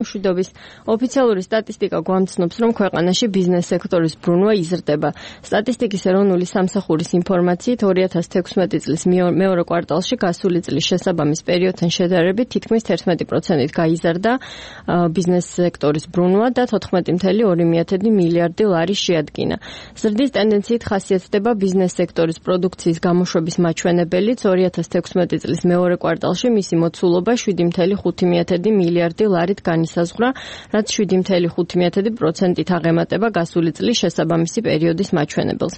მშვიდობის ოფიციალური სტატისტიკა გვამცნობს, რომ ქვეყანაში ბიზნეს სექტორის ბრუნვა იზრდება. სტატისტიკის ეროვნული სამსახურის ინფორმაციით 2016 წლის მეორე კვარტალში გასული წლის შესაბამის პერიოდთან შედარებით თითქმის 11%-ით გაიზარდა ბიზნეს სექტორის ბრუნვა და 14.2 მილიარდი ლარი შეადგინა. ზრდის ტენდენციით ხასიათდება ბიზნეს სექტორის პროდუქციის გამოშვების მაჩვენებელიც 2016 წლის მეორე კვარტალში მისი მოცულობა 7.5 მილიარდი ლარით განისაზღვრა, რაც 7.5%-ით აღემატება გასული წლის შესაბამისი პერიოდის მაჩვენებელს.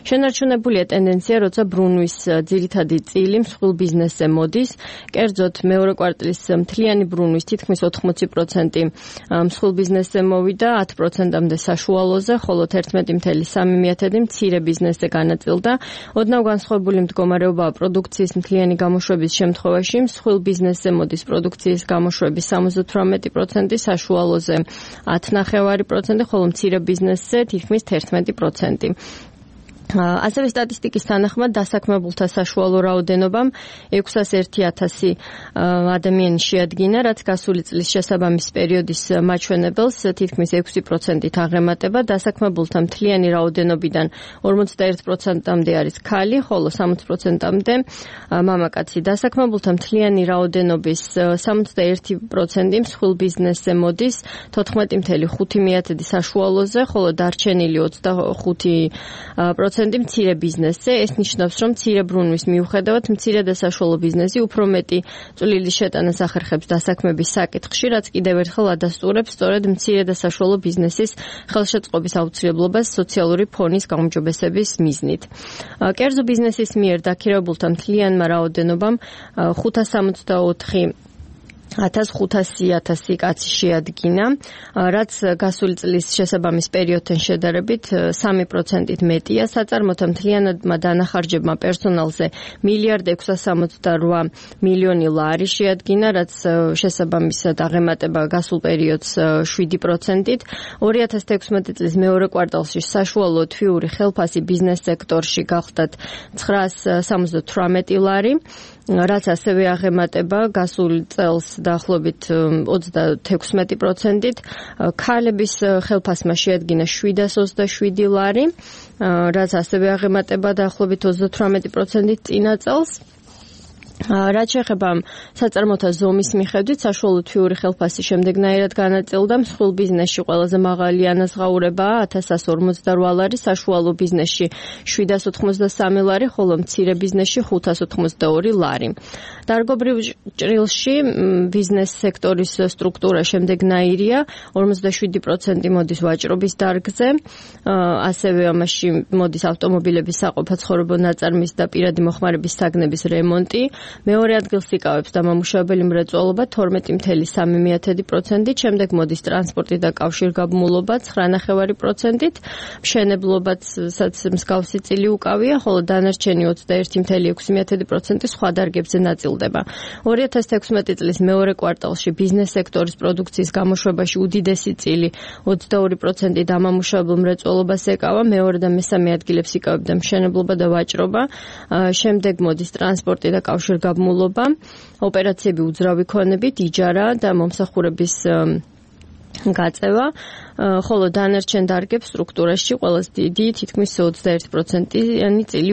შენარჩუნებულია ტენდენცია, როცა ბრუნვის ძირითადი წილი მსხვილ ბიზნესზე მოდის. კერძოდ, მეორე კვარტლის მთლიანი ბრუნვის თითქმის 80% მსხვილ ბიზნესზე მოვიდა, 10%-მდე საშუალოზე, ხოლო 11.3 მცირე ბიზნესზე განაწილდა. ოდნავ განსხვავებული მდგომარეობაა პროდუქციის მთლიანი გამოშვების შემთხვევაში. მსხვილ ბიზნესზე მოდის პროდუქციის გამოშვების 78%, საშუალოზე 10.5%, ხოლო მცირე ბიზნესზე თითქმის 11%. ასევე სტატისტიკის თანახმად დასაქმებულთა საშუალო რაოდენობამ 601,000 ადამიანი შეადგინა, რაც გასული წლის შესაბამის პერიოდის მაჩვენებელს თითქმის 6%-ით აღემატება. დასაქმებულთა მთლიანი რაოდენობიდან 41%-მდე არის ქალი, ხოლო 60%-მდე მამაკაცი. დასაქმებულთა მთლიანი რაოდენობის 61% მსხვილ ბიზნესზე მოდის, 14.5 საშუალოზე, ხოლო დარჩენილი 25% მცირე ბიზნესზე. ეს ნიშნავს, რომ მცირე ბრუნვის მიუხედავად მცირე და საშუალო ბიზნესი უფრო მეტი წვლილის შეტანას ახერხებს დასაქმების საკითხში, რაც კიდევ ერთხელ ადასტურებს სწორედ მცირე და საშუალო ბიზნესის ხელშეწყობის აუცილებლობას სოციალური ფონის გაუმჯობესების მიზნით. კერძო ბიზნესის მიერ დაქირავებულთა მთლიანმა რაოდენობამ 564,000 კაცი შეადგინა, რაც გასული წლის შესაბამის პერიოდთან შედარებით 3%-ით მეტია. საწარმოთა მთლიანადმა დანახარჯებმა პერსონალზე 1,668 მილიონი ლარი შეადგინა, რაც შესაბამისად აღემატება გასულ პერიოდს 7%-ით. 2016 წლის მეორე კვარტალში საშუალო თვიური ხელფასი ბიზნეს სექტორში გახლდათ 978 ლარი, რაც ასევე აღემატება გასულ წელს დაახლოებით 36%-ით. ქალების ხელფასმა შეადგინა 727 ლარი, რაც ასევე აღემატება დაახლოებით 38%-ით წინა წელს. რაც შეეხება საწარმოთა ზომის მიხედვით, საშუალო თვიური ხელფასი შემდეგნაირად განაწილდა. მსხვილ ბიზნესში ყველაზე მაღალი ანაზღაურებაა 1148 ლარი, საშუალო ბიზნესში 783 ლარი, ხოლო მცირე ბიზნესში 582 ლარი. დარგობრივ ჭრილში ბიზნეს სექტორის სტრუქტურა შემდეგნაირია, 57% მოდის ვაჭრობის დარგზე, ასევე ამაში მოდის ავტომობილების საყოფაცხოვრებო ნაწარმის და პირადი მოხმარების საგნების რემონტი. მეორე ადგილს იკავებს დამამუშავებელი მრეწველობა 12.3%-ით, შემდეგ მოდის ტრანსპორტი და კავშირგაბმულობა 9.5%-ით, მშენებლობაცაც მსგავსი წილი უკავია, ხოლო დანარჩენი 21.6% სხვა დარგებზე ნაწილდება. 2016 წლის მეორე კვარტალში ბიზნეს სექტორის პროდუქციის გამოშვებაში უდიდესი წილი 22% დამამუშავებელ მრეწველობას ეკავა, მეორე და მესამე ადგილებს იკავებდა მშენებლობა და ვაჭრობა, შემდეგ მოდის ტრანსპორტი და კავშირგაბმულობა, ოპერაციები უძრავი ქონებით, იჯარა და მომსახურების გაწევა, ხოლო დანარჩენ დარგებს სტრუქტურაში ყველაზე დიდი თითქმის 21%-იანი წილი